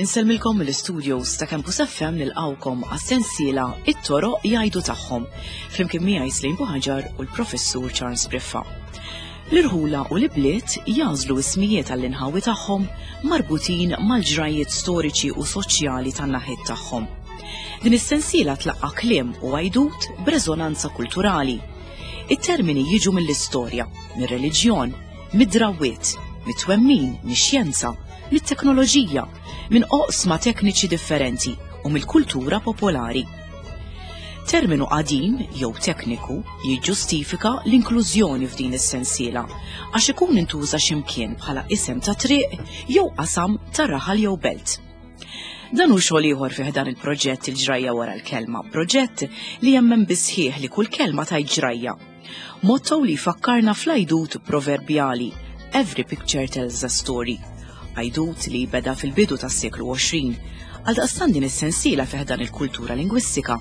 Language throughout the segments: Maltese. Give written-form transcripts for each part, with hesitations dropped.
Insellmilkom mill-istudios ta' Campus FM nilqawkom għas-sensiela It-toroq jgħidu tagħhom flimkien miegħi Slim Buħaġar u l-Professur Charles Briffa. L-irħula u l-ibliet jagħżlu ismijiet għall-inħawi tagħhom marbutin mal-ġrajjiet storiċi u soċjali tan-naħiet tagħhom. Din is-sensiela tlaqqa' kliem u għajdut b'reżonanza kulturali. It-termini jiġu mill-istorja, mir-reliġjon, mid-drawwiet, mit-twemmin, mix-xjenza, mit-teknoloġija, minn oqsma tekniċi differenti u mill-kultura popolari. Terminu qadim jew tekniku jiġġustifika l-inklużjoni f'din is-sensiela għax ikun intuża x'imkien bħala isem ta' triq jew qasam ta' raħal jew belt. Dan hu xogħol ieħor fih dan il-proġett il-ġrajja wara l-kelma, proġett li jemmen bisħieħ li kull kelma tajt ġrajja. Motto li jfakkarna fl-għajdut proverbjali Every picture tells a story. Għajdut li beda fil-bidu tas-seklu 20. Għaldaqstant din is-sensiela fih dan il-kultura lingwistika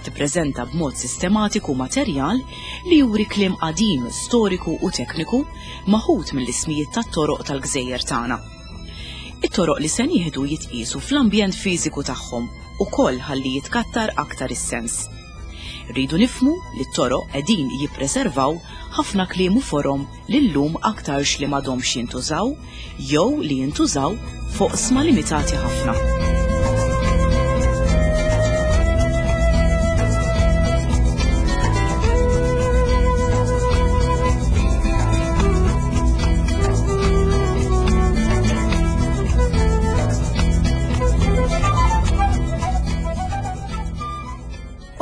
tippreżenta b'mod sistematiku materjal li juri kliem qadim, storiku u tekniku maħud mill-ismijiet tat-toroq tal-gżejjer tagħna. It-toroq li se nieħdu jitqiesu fl-ambjent fiżiku tagħhom ukoll ħalli jitkattar aktar is-sens. Rridu nifhmu li t-toroq qegħdin jippreservaw ħafna kliem u forom li llum aktarx li m'għadhomx jintużaw jew li jintużaw f'oqsma limitati ħafna.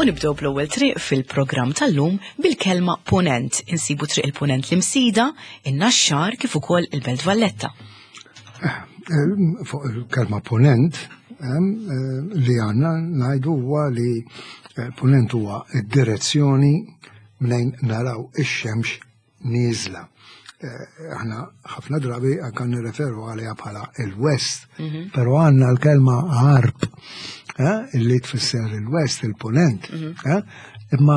U nibdew bl-ewwel triq fil-programm tal-lum bil-kelma Punent. Insibu triq il-Punent l-Imsida, in-Naxxar kif ukoll il-Belt Valletta. Eh, eh, fuq il-kelma Punent eh, li għandna ngħidu huwa li Punent huwa id-direzzjoni mnejn naraw ix-xemx nieżla. Eh, aħna ħafna drabi anka nirreferu għaliha bħala il-West, mhm. però għandna l-kelma għarb eh, illi tfisser il-West, il-Punent. Mhm. Eh, imma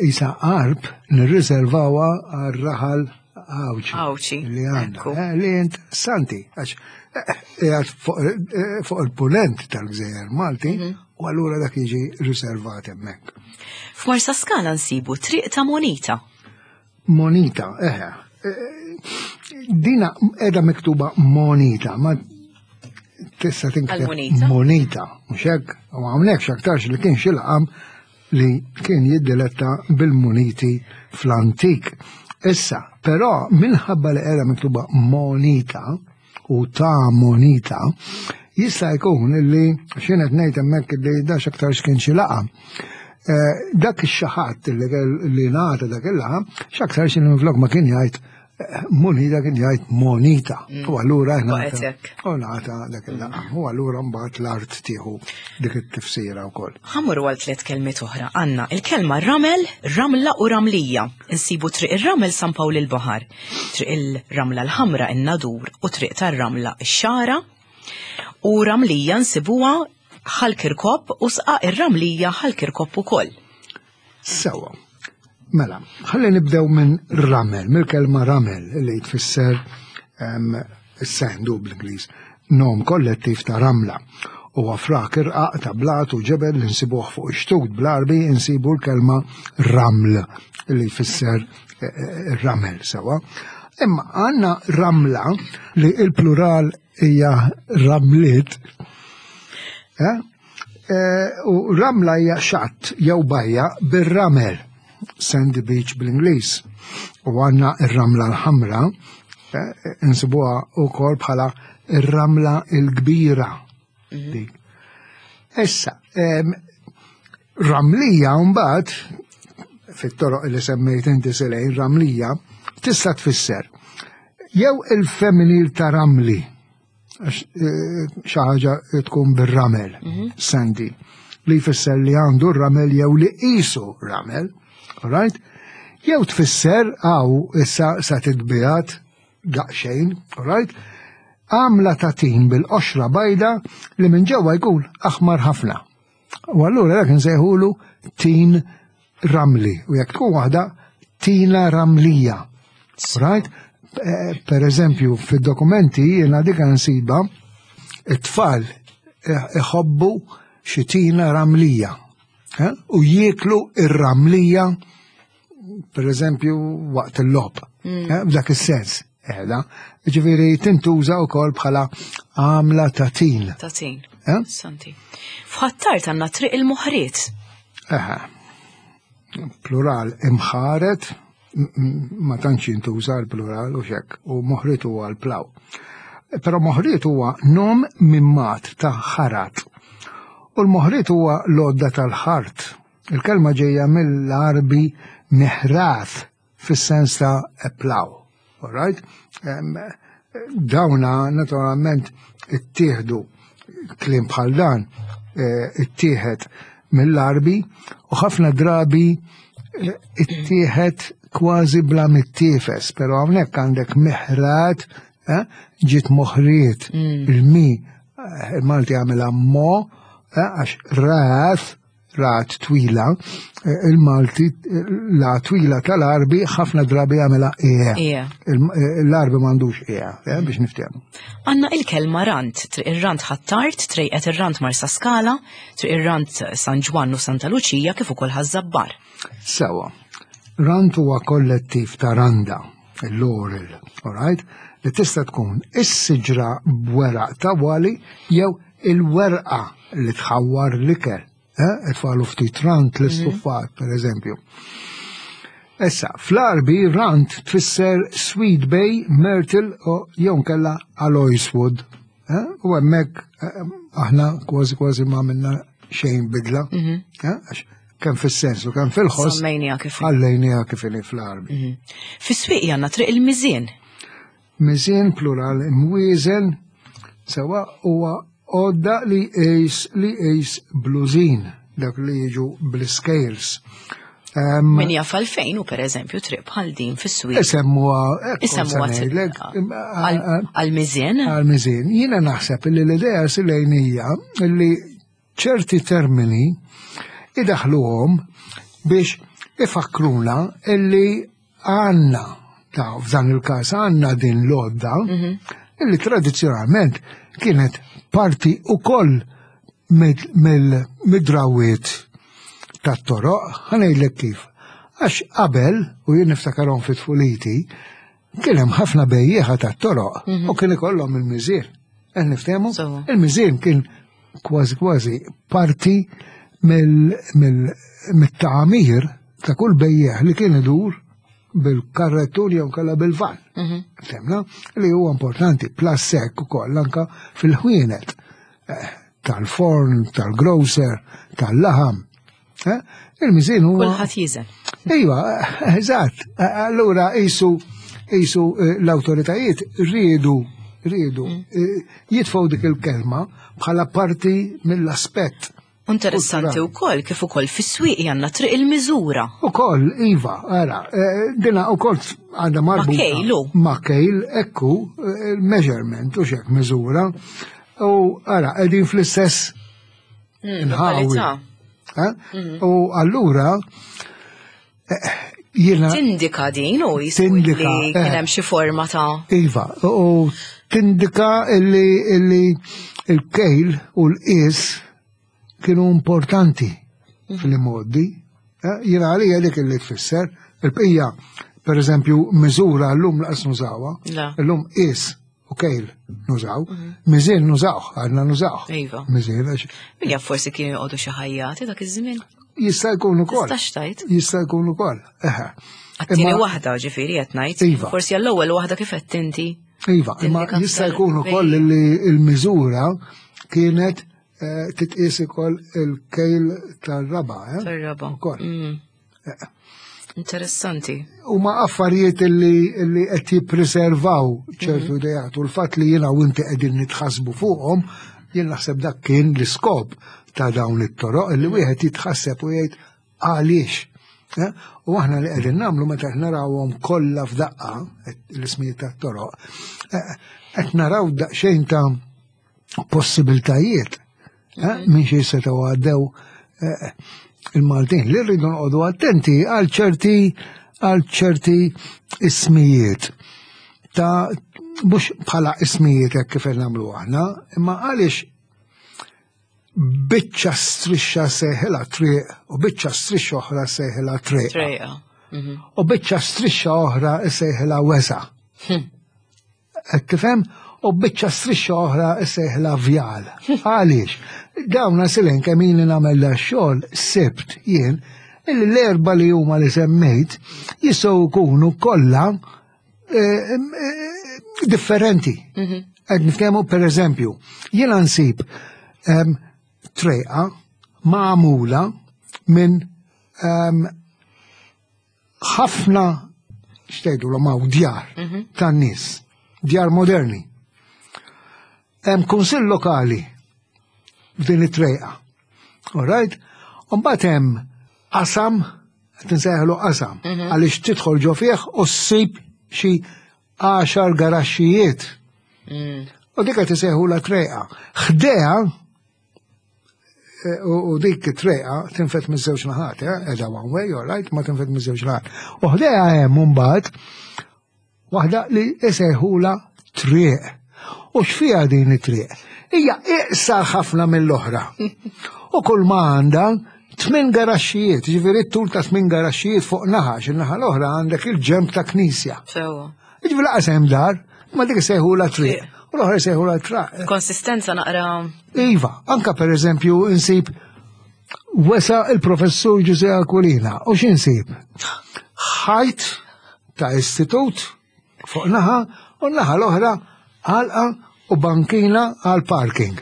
isa għarb nirriservawa għar-raħal Għawċi. Li għandna. Li interessanti, għax fuq il-punent tal-Gżejjer Malti, mhm. u allura dak jiġi riservat hemmhekk. F'Marsa Skala nsibu triq ta' Monita. Monita, eħe. Eh, dina edha miktuba Monita, ma tista' tinkteb Monita, mhux hekk, u hawnhekk x'aktarx li kien xi laqam li kien jiddiletta bil-muniti fl-antik. Issa, però minħabba li qiegħda miktuba Monita, u ta' monita, jista' jkun illi x'jien qed ngħid hemmhekk illi da x'aktar x'kien xi laqa. Eh, dak ix-xaħat li ngħata dak il-laqa, x'aktar xi minflok ma kien jgħid eh, monita kien jgħid monita. Mm. U allura u ngħata dak il-laqa. U allura mbagħad l-art tieħu dik it-tifsira wkoll. Ħamur għal tliet kelmiet oħra għandna il-kelma ramel, ramla u ramlija. Insibu triq ir-ramel San Pawl il-Baħar. Triq il-Ramla l-Ħamra in-Nadur u Triq tar-Ramla ix-Xagħra. U Ramlija nsibuha Ħal Kirkop u Sqaq ir-Ramlija Ħal Kirkop ukoll. Sewwa. Mela, ħalli nibdew minn ramel, mill-kelma ramel li tfisser ehm, is-sand bl-Ingliż, nom kollettiv ta' ramla. Huwa frak irqaq ta' blat u ġebel li nsibuh fuq ix-xtut bl-Għarbi insibu l-kelma raml li jfisser ramel sewa. Imma għanna ramla li il-plural hija ramliet. Eh? Eh, u ramla hija xatt jew bajja bir-ramel, Sandy Beach bl-Ingliż. U għanna ir-ramla l-ħamra, eh, insibuha wkoll bħala ir-ramla l-kbira. Mhm. Dik. Issa, ramlija mbagħad fit-toroq li semmejt inti silejn ramlija tista' tfisser jew il-femminil ta' ramli għax eh, xi ħaġa tkun bir-ramel, mhm. sandy, li jfisser li għandu r-ramel jew li qisu ramel, right? Jew tfisser għaw issa sa titbijat daqsxejn, right? Għamla ta' tin bil-qoxra bajda li minn ġewwa jkun aħmar ħafna. U allura dak insejħulu tin. ramli u jekk tkun waħda tina ramlija. Right? Eh, per eżempju, fid-dokumenti jiena dik nsiba it-tfal iħobbu xi tina ramlija eh, u jieklu ir-ramlija per eżempju waqt il-lob. Mm. Eh, f'dak is-sens. Qiegħda. Ġifieri tintuża wkoll bħala għamla ta' tin. Ta' tin. Eh? Santi. F'Ħattar għandna triq il-moħriet. Eħe. Plural imħaret ma tantx jintuża l-plural u xek u moħriet huwa l-plaw. Però moħriet huwa nom mimmat ta' ħarat. U l-moħriet huwa l-għodda tal-ħart. Il-kelma ġejja mill-Arbi miħrath fis-sens ta' plow. All right? Dawna naturalment ittieħdu kliem bħal dan eh, ittieħed mill-Arbi u ħafna drabi eh, ittieħed kważi bla mittiefes, pero hawnhekk għandek miħrat eh, ġiet moħriet mm. il-mi il-Malti għamilha mo għax ras rat twila, eh, il-Malti la twila tal-Arbi ħafna drabi għamela e. e. Eh, l-Arbi m'għandux e, eh, biex niftehmu. Għanna il-kelma rant, triq ir-rant ħattart, trejqet ir-rant Marsa Skala, triq ir-rant San Ġwann u Santa Luċija kif ukoll Ħaż-Żabbar. Sewa. Rant huwa kollettiv ta' randa, il-laurel, all right? Li tista' tkun is-siġra b'weraq ta' wali jew il-werqa li tħawwar l-ikel, eh, itfalu ftit rant l-istuffat, mhm. per eżempju. Issa, fl-Arbi rant tfisser Sweet Bay, Myrtle u jew kella Aloiswood. Eh? U hemmhekk eh, aħna kważi kważi ma minna xejn bidla. Mhm. Għax kemm fis-sens u kemm fil-ħoss. Semmejniha kif. Ħallejniha kif inhi fl-Arbi. Mhm. Fis-swieq għandna triq il-miżien. Miżien plural imwieżen sewa huwa għodda li jqis li jqis blużin dak li jiġu bl-scales. Min jaf għalfejn u per eżempju triq bħal din fis-swieq. Isemmuha Isemmuha għal-miżien. Għal-miżien. Jiena naħseb li l-idea silejn hija li ċerti termini idaħluhom biex ifakruna illi għanna, ta' f'dan il-każ għanna din l-għodda, mhm. illi tradizzjonalment kienet parti ukoll mid-drawiet tat-toroq, ħanejlek kif. Għax qabel, u jien niftakarhom fit tfuliti, kien hemm ħafna bejjieħa tat-toroq mhm. u kien ikollhom il-miżien. Qed niftehmu? Il-miżien kien kważi kważi parti mill-tagħmir ta' kull bejjeħ li kien idur bil-karrettur jew kalla bil-van. Mhm. Femna li huwa importanti, plus sekk ukoll anka fil-ħwienet eh, tal-forn, tal-grocer, tal-laħam. Eh, il-miżin huwa. Kulħadd jiżen. Iva, eżatt. Allura jisu jisu eh, l-awtoritajiet riedu riedu mm. jitfgħu dik il-kelma bħala parti mill-aspett Interessanti wkoll kif ukoll fis-swieq għandna triq il-miżura. Ukoll, iva, ara, eh, dina ukoll għandha marbuta. Ma' kejlu. Ma' kejl, ekku, eh, measurement u xek miżura. U ara, qegħdin fl-istess mm, inħawi. Eh? Mm. U allura jiena. Tindika din u tindika li kien hemm xi forma ta' Iva, u tindika illi illi il-kejl u l-qis kienu importanti mhm. fil-modi. Eh, jiena għalija dik illi tfisser, il-bqija, per eżempju, miżura l-lum laqas nużawha, l-lum qis u kejl nużaw, mhm. miżien nużaw, għadna nużaw. Iva. Miżien għax. Min jaf forsi kienu joqogħdu xi ħajjati dak iż-żmien. Jista' jkun ukoll. Tistax tajt. Jista' jkun ukoll. Eħe. Għat-tieni waħda ġifieri qed ngħid. Iva. Forsi għall-ewwel waħda kif qed inti. Iva, imma jista' jkun ukoll li l-miżura kienet eh, titqies ukoll il-kejl tar-raba. Eh? Tar-raba. Ukoll. Mm. Interessanti. Huma affarijiet li qed jippreservaw ċertu mhm. idejat u l-fatt li jiena u inti qegħdin nitħassbu fuqhom, jien naħseb dak kien l-iskop ta' dawn it-toroq li mhm. wieħed jitħasseb u jgħid għaliex. Eh? U aħna li qegħdin nagħmlu meta qed narawhom kollha f'daqqa l-ismijiet tat-toroq, eh, qed naraw daqsxejn ta' possibiltajiet eh, mhm. minn xi setgħu għaddew eh, il-Maltin li rridu noqogħdu attenti għal ċerti għal ċerti ismijiet ta' mhux bħala ismijiet hekk kif qed nagħmlu aħna, imma għaliex biċċa strixxa seħila triq u biċċa strixxa oħra seħila triq. Trejqa. U biċċa strixxa oħra sejħilha wesa. Qed tifhem? U biċċa strixxa oħra sejħilha vjal. Għaliex? Dawn silen kemm ili nagħmel da xogħol sibt jien illi l-erba li huma li semmejt jistgħu jkunu kollha eh, eh, differenti. Qed nitkellmu per eżempju, jiena nsib trejqa magħmula minn ħafna xtejdu l djar tan-nies, djar moderni. Hemm kunsill lokali f'din it-trejqa. All right? Mbagħad hemm qasam, qed insejħlu qasam, għaliex tidħol ġo fih u ssib xi 10 garaxxijiet. U dik qed isejħu la trejqa. Ħdejha u dik it-trejqa tinfet miż-żewġ naħat, qiegħda one way, all right, ma tinfet miż-żewġ naħat. U ħdejha hemm mbagħad waħda li isejħula triq. U x'fiha din it-triq? Hija iqsar ħafna mill-oħra. U kull ma għandha tmien garaxxijiet, ġifieri t-tul ta' tmien garaxxijiet fuq naħa, x'in-naħa l-oħra għandek il-ġemb ta' knisja. Sewwa. Ġifieri laqas hemm dar, ma dik isejħula triq. U l-oħra jsejħula traq. Konsistenza naqra. Iva, anka per eżempju insib wesa il-professur Ġuże Aquilina. U x'insib? Ħajt ta' istitut fuq naħa u naħa l-oħra għalqa u bankina għal parking.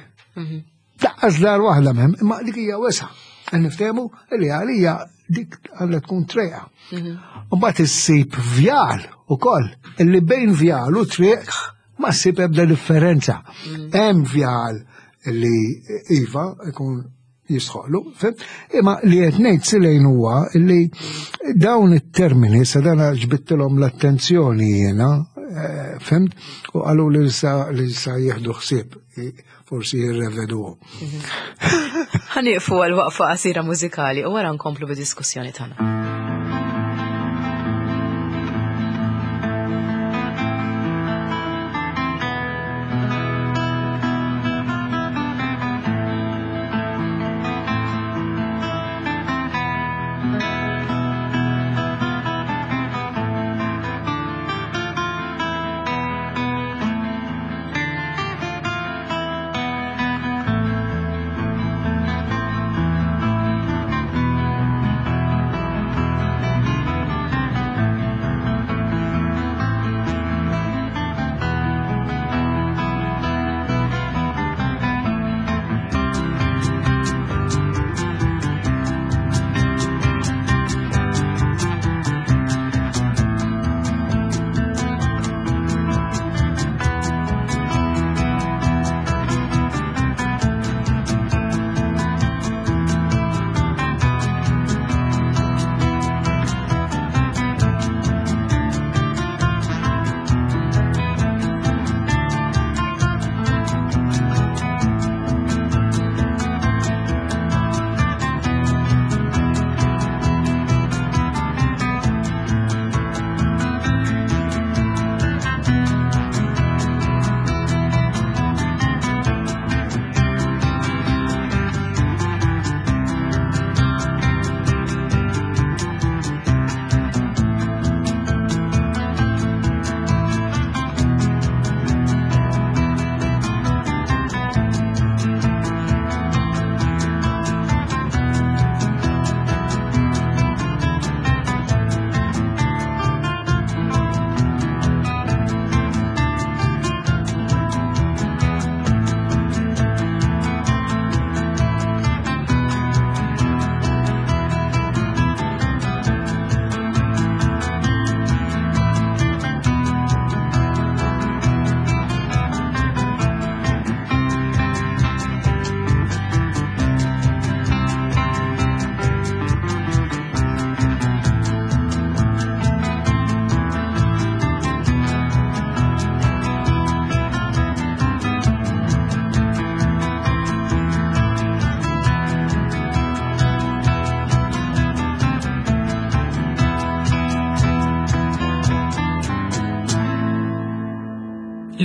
Daqqas dar waħda mem, imma dik hija wesa. Niftehmu li għalija dik għandha tkun trejqa. U mbagħad issib vjal ukoll illi bejn vjal u triq ma ssib ebda differenza. Hemm vjal li iva ikun jisħoqlu, fhimt? Imma li qed ngħid silejn huwa li dawn it-termini sa dan ġbidtilhom l-attenzjoni jiena, fhimt? U qalu li sa li sa jieħdu ħsieb forsi jirreveduhom. Ħanieqfu għal waqfa qasira mużikali u wara nkomplu bid-diskussjoni tagħna.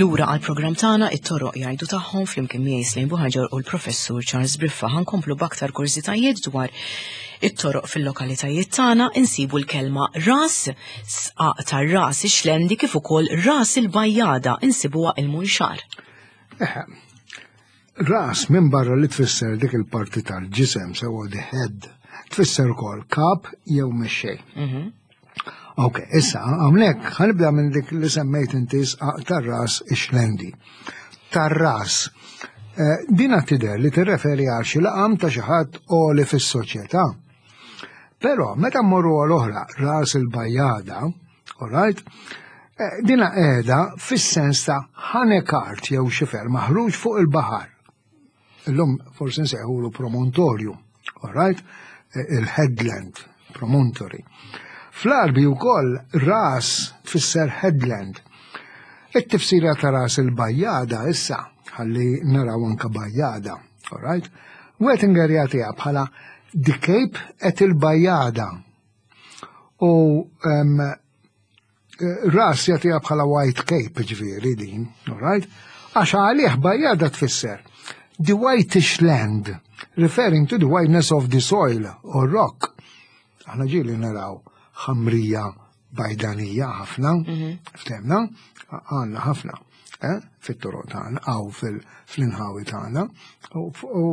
Lura għal programm tagħna it-toroq jgħidu tagħhom flimkien miegħi Slejn Buħaġar u l-Professur Charles Briffa ħankomplu b'aktar kurżitajiet dwar it-toroq fil-lokalitajiet tagħna insibu l-kelma ras, sqaq tar-ras ix-xlendi kif ukoll ras il-bajjada insibuha il-munxar. Ras minn barra li tfisser dik il-parti tal-ġisem sewa the head, tfisser ukoll kap jew mexxej. Ok, issa, hawnhekk ħanibda minn dik li semmejt inti sqaq tar-ras ix-xlendi. Tar-ras. Eh, dina tidher li tirreferi għal xi laqam ta' xi ħadd għoli fis-soċjetà. Però meta mmorru għal oħra ras il-bajjada, all right, eh, dina qiegħda fis-sens ta' ħanekart jew xifer maħruġ fuq il-baħar. Illum forsi nsejħulu promontorju, all right? Eh, il-headland, promontory. Fl-Arbi wkoll ras tfisser headland. It-tifsira ta' ras il-bajjada issa, ħalli naraw anka bajjada, all right? Wettinger jagħtiha bħala the Cape et il-bajjada. U um, Ras jagħtiha bħala white cape ġifieri din, all right? Għax għalih bajjada tfisser the whitish land, referring to the whiteness of the soil or rock. Aħna ġieli naraw ħamrija bajdanija ħafna, mhm. ftemna, għandna ħafna. Eh, fit-toroq tagħna aw fl-inħawi tagħna. U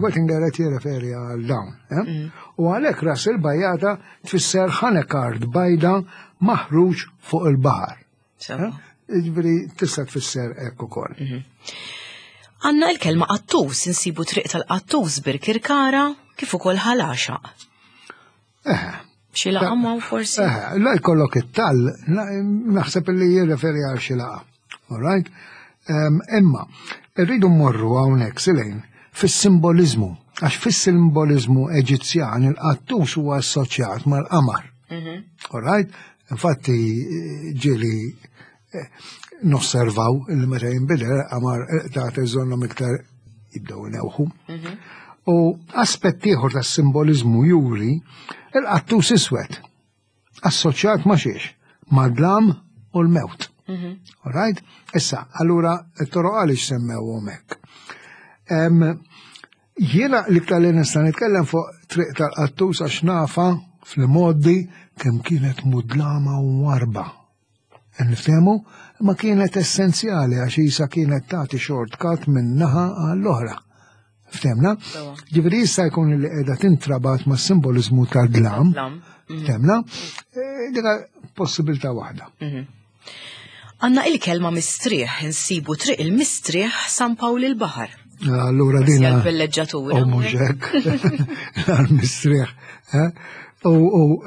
Wettinger qed jirreferi għal dawn. Eh? Mm. U għalhekk ras il-bajjata tfisser ħanekard bajda maħruġ fuq il-baħar. Eh? Jiġifieri tista' tfisser hekk ukoll. Mhm. Għanna l-kelma qattus insibu triq tal-qattus birkirkara kif ukoll ħalaxa. Eh. Xi laqa ma forsi? Eh, la jkollok it-tal, naħseb li jirreferi għal xi laqa. All right? Imma, irridu mmorru hawnhekk silejn fis-simboliżmu, għax fis-simboliżmu Eġizzjan il-qattus huwa assoċjat mal-qamar. Mhm. All right? Infatti ġieli eh, nosservaw li meta jinbidel qamar eh, ta' iżonnhom iktar jibdew newħu. Mhm. U aspett ieħor tas-simboliżmu juri il-qattus iswed assoċjat ma' xiex, ma' dlam u l-mewt. Mhm. All right? Issa, allura it-toroq għaliex semmewhom hekk. Jiena l-iktar li nista' nitkellem fuq triq tal-qattus għax nafa fl-modi kemm kienet mudlama u warba. Niftehmu, ma kienet essenzjali għax isa kienet tagħti shortcut minn naħa għall-oħra. Ftemna? Ġifieri jista' jkun li qiegħda tintrabat ma' simbolizmu tal-dlam. Mhm. Ftemna? E, dika possibilità waħda. Mhm. Għanna il-kelma mistrieħ, insibu triq il-mistrieħ San Pawl il-Baħar. Allura dina. Il-villeġġatura. U mhux hekk. L-mistrieħ. Eh? U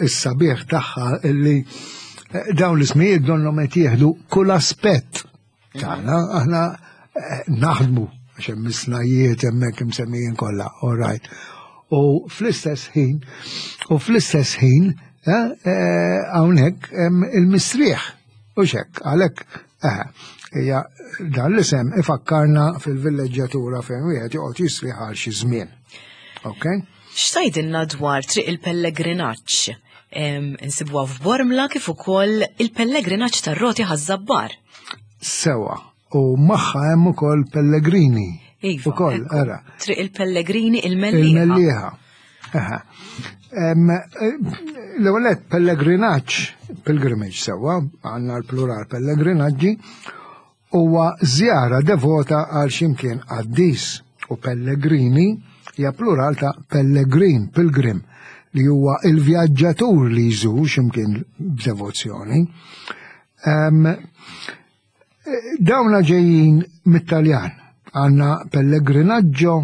s-sabiħ tagħha illi eh, dawn l-ismijiet donhom qed jieħdu kull aspett tagħna aħna eh, naħdmu għax hemm isnajiet hemmhekk imsemmijin kollha, all right. U fl-istess ħin, u fl-istess ħin, eh, hawnhekk hemm il-mistrieħ. U xekk, għalhekk, hija dan l-isem ifakkarna fil-villeġġjatura fejn wieħed joqgħod jistrieħ għal xi żmien. Ok? X'tgħidilna dwar triq il-pellegrinaġġ? Insibuha f'Bormla kif ukoll il-pellegrinaġġ tar-roti ħaż-Żabbar. Sewa, u magħha hemm ukoll pellegrini. Iva, ukoll, era. Triq il-pellegrini il-Mellieħa. Il-Mellieħa. L-ewwel pellegrinaġġ, pilgrimage sewa, għandna l-plural pellegrinaġġi, huwa żjara devota għal x'imkien qaddis u pellegrini hija plural ta' pellegrin, pilgrim, li huwa il-vjaġġatur li jżur x'imkien b'devozzjoni. Dawna ġejjin mit-Taljan. Għandna pellegrinaggio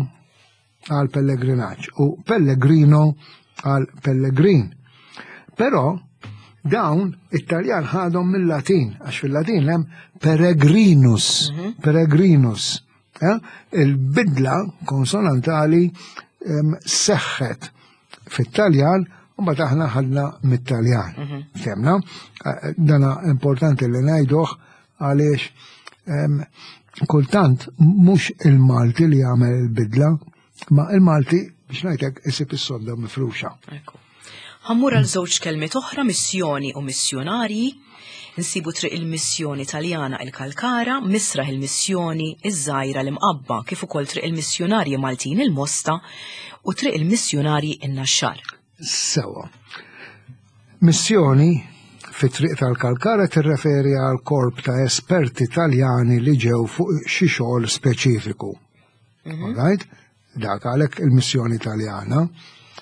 għal pellegrinaġġ u pellegrino għal pellegrin. Però dawn it-Taljan ħadhom mill-Latin, għax fil-Latin hemm peregrinus, mhm. peregrinus. Eh? Il-bidla konsonantali seħħet fit-Taljan u mbagħad aħna ħadna mit-Taljan. Mhm. Femna, eh, dana importanti li ngħiduh għaliex kultant mhux il-Malti li jagħmel il-bidla, ma il-Malti biex ngħidlek isib is-sodda mifruxa. Ħammur għal żewġ kelmiet oħra missjoni u missjonarji. Insibu Triq il-Missjoni Taljana il-Kalkara, Misraħ il-Missjoni iż-Żgħira l-Imqabba, kif ukoll Triq il-Missjunarji Maltin il-Mosta u Triq il-Missjunarji in-Naxxar. Sewwa. Missjoni fi Triq tal-Kalkara tirreferi għal korp ta' esperti Taljani li ġew fuq xi xogħol speċifiku. All right? Dak għalhekk il-missjoni Taljana.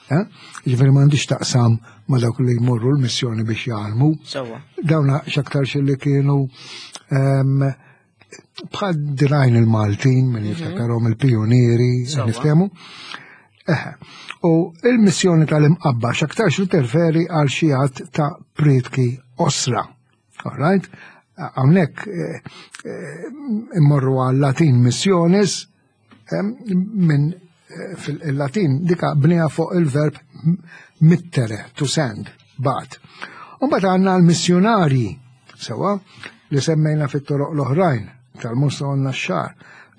Eh? Ġifieri m'għandix taqsam ma' dawk li jmorru l-missjoni biex jgħallmu. Sewwa. Dawna x'aktarx li kienu ehm, bħal dirajn il-Maltin, min jiftakarhom il-pijunieri, Sewwa. niftehmu. Eħe. U il-missjoni tal-imqabba x'aktarx li terferi għal xi għadd ta' prietki osra. All right? Hawnhekk eh, eh, immorru għal Latin missionis minn eh, fil-Latin dika bniha fuq il-verb mittere, to send, bat. Umbagħad għandna l-missjonarji, sewa, li semmejna fit-toroq l-oħrajn tal-Mosta u n-Naxxar.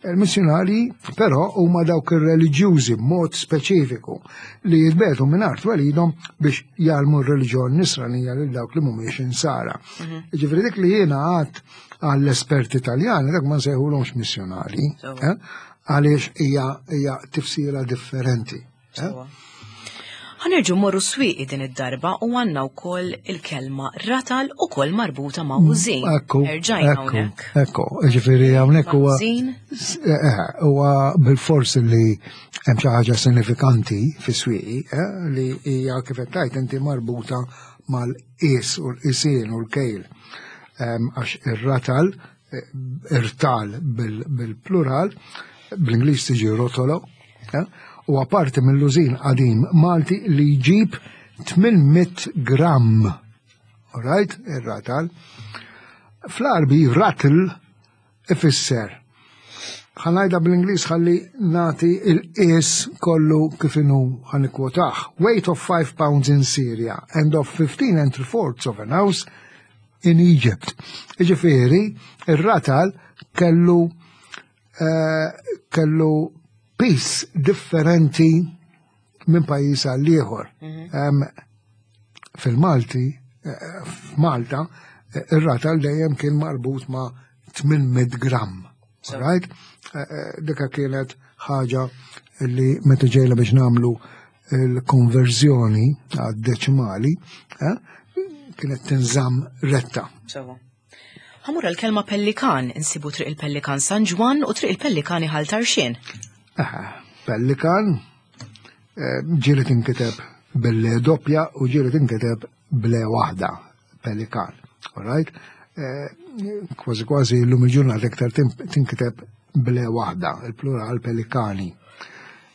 Il-missjonarji però huma dawk ir-reliġjużi b'mod speċifiku li jitbetu minn art twelidhom biex jgħallmu r-reliġjon nisranija lil dawk li mhumiex insara. Ġifieri dik li jiena għad għall-esperti Taljani dak ma nsejħulhomx missjonarji, Sewwa. eh, għaliex hija hija tifsira differenti. eh? Sewwa. Ħa nerġgħu mmorru Swieqi din id-darba u għandna wkoll il-kelma ratal ukoll marbuta ma' użin. Ekku, Erġajna ekku, hawnhekk. ekku, ġifieri hawnhekk huwa Użin. eh, huwa bil-fors li hemm xi ħaġa sinifikanti fis-Swieqi eh, li hija kif qed tgħid inti marbuta mal-qies u l-qisien u l-kejl. Em, Għax ir-ratal, eh, irtal bil-plural, bl-Ingliż tiġi rotolo, eh, huwa parti mill-użin qadim Malti li jġib 800 gram. All right, ir-ratal. Fl-Għarbi ratl ifisser. Ħa ngħidha bl-Ingliż ħalli nagħti il-qies kollu kif inhu ħa nikkwotaħ. Weight of 5 pounds in Syria and of 15 and 3 fourths of an ounce in Egypt. Ġifieri, ir-ratal kellu eh, kellu piż differenti minn pajjiż għal ieħor. Em, Fil-Malti, eh, f'Malta, eh, ir-ratal dejjem kien marbut ma' 800 gram. So. Right? Eh, eh, Dika kienet ħaġa li meta ġejna biex nagħmlu il-konverżjoni għad-deċimali, eh, kienet tinżamm retta. Sewwa. Ħa mmur għall-kelma pellikan, insibu Triq il-Pellikan San Ġwann u Triq il-Pellikani Ħal Tarxien. Eh, Pellikan, eh, ġieli tinkiteb bil-L doppja u ġieli tinkiteb bl-E waħda, pelikan. All right? Eh, Kważi kważi l-lum il-ġurnata iktar tinkiteb bl-E waħda, il-plural pelikani.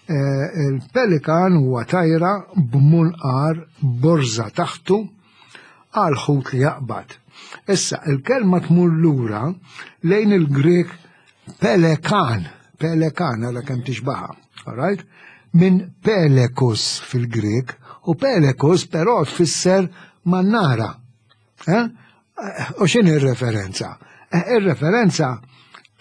Eh, Il-pelikan huwa tajra b'munqar borza taħtu għal ħut li jaqbad. Issa, il-kelma tmur lura lejn il-Grek pelekan, pelekan għala kemm tixbaha, all right? Minn pelekus fil-Grek, u pelekus però tfisser mannara. Eh? U x'inhi ir-referenza? Eh, Ir-referenza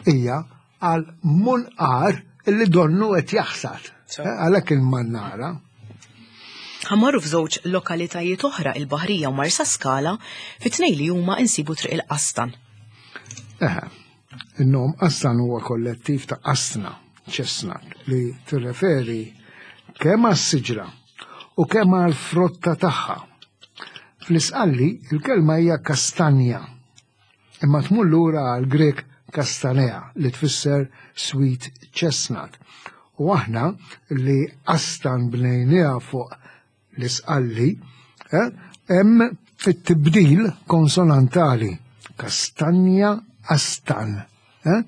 hija għal munqar illi donnu qed jaħsad. So. Eh, Għalhekk il-mannara. Ħa mmorru f'żewġ lokalitajiet oħra il-Baħrija u Marsa Skala fit-tnej li huma insibu Triq il-Qastan. Eħe, il-nom Qastan huwa kollettiv ta' qasna, chestnut, li tirreferi kemm għas-siġra u kemm għall-frotta tagħha. Fl-Isqalli il-kelma hija kastanja, imma tmur lura għal Grek kastanea li tfisser sweet chestnut. U aħna li qastan bnejniha fuq l-Isqalli, eh, hemm it-tibdil konsonantali kastanja astan. Eh?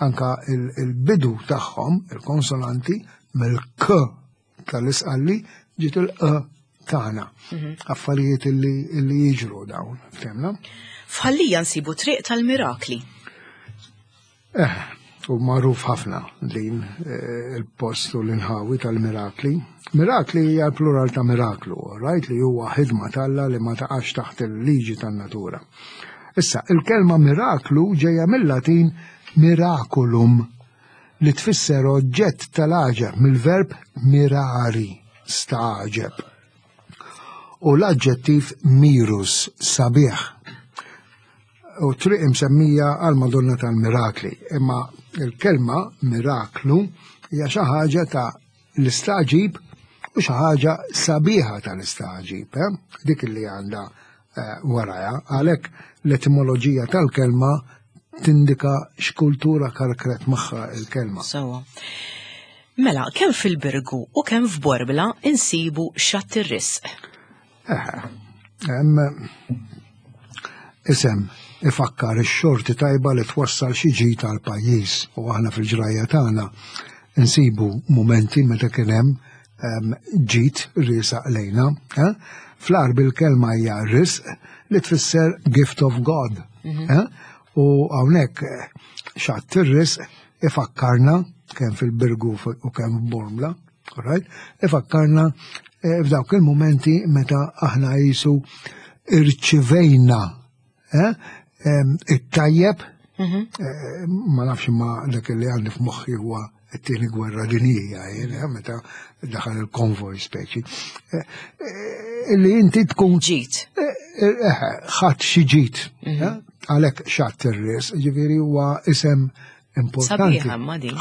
Anka il-bidu tagħhom, il-konsonanti, mill-k tal-Isqalli ġiet il-q tagħna. Affarijiet illi illi jiġru dawn, fhimna? F'Ħal Lija nsibu Triq tal-Mirakli. Eh, u magħruf ħafna din eh, il-post u l-inħawi tal-mirakli. Mirakli hija l-plural ta' miraklu, right? Li huwa ħidma t'Alla li ma taqax taħt il-liġi tan-natura. Issa, il-kelma miraklu ġejja mill-Latin miraculum li tfisser oġġett tal-għaġeb mill-verb mirari, stagħġeb. U l-aġġettiv mirus, sabiħ. U triq imsemmija għal Madonna tal-Mirakli. Imma il-kelma miraklu hija xi ħaġa ta' l-istaġib u xi ħaġa sabiħa tal-istaġib, eh? dik li għandha eh, waraja, għalhekk l-etimoloġija tal-kelma tindika x'kultura karkret magħha il-kelma. Sewa. Mela, kemm fil-Birgu u kemm f'Borbla insibu xatt ir-risq. Hemm isem ifakkar ix-xorti tajba li twassal xi ġid għal pajjiż u aħna fil-ġrajja tagħna nsibu mumenti meta kien hemm ġid riesaq lejna. Eh? Fl-Għarbi l-kelma hija risq li tfisser gift of God. Mhm. Eh? U hawnhekk eh, xatt ir-risq ifakkarna kemm fil-Birgu u kemm f'Bormla, right? Ifakkarna eh, f'dawk il-momenti meta aħna jisu irċivejna eh, it-tajjeb, mhm. eh, ma nafx ma dak li għandi f'moħħi huwa it-tieni gwerra dinjija, meta daħal il-konvoj speċi. Illi inti tkun ġit. Ħadd xi ġit. Mhm. Għalhekk xatt ir-ris, ġifieri huwa isem importanti.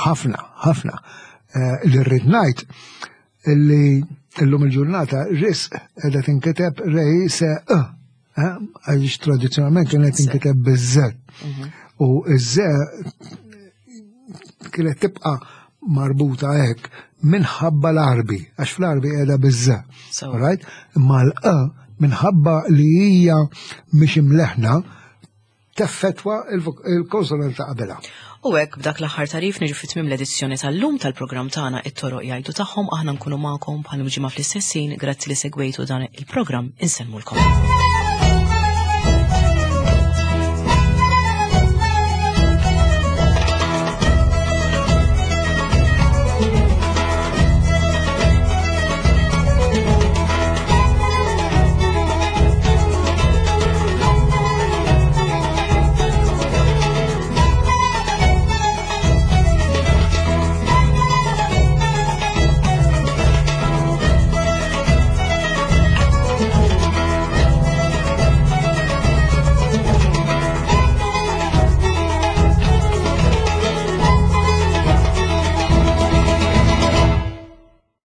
Ħafna, ħafna. Eh, li rrid ngħid li illum il-ġurnata risq qiegħda tinkiteb rej se eh, eh, għaliex tradizzjonalment kienet tinkiteb biż-ze. Mhm. U iż-ze kienet tibqa' marbuta hekk minħabba l-arbi, għax fl-arbi qiegħda biż-ze. Right? Imma l-e minħabba li hija mhix imleħna teffettwa il-konsonant ta' qabilha. U hekk b'dak l-aħħar tarif niġu fi tmiem l-edizzjoni tal-lum tal-programm tagħna it-toroq jgħidu tagħhom aħna nkunu magħkom bħal ġimgħa fl-istess ħin grazzi li segwejtu dan il-programm insellmulkom.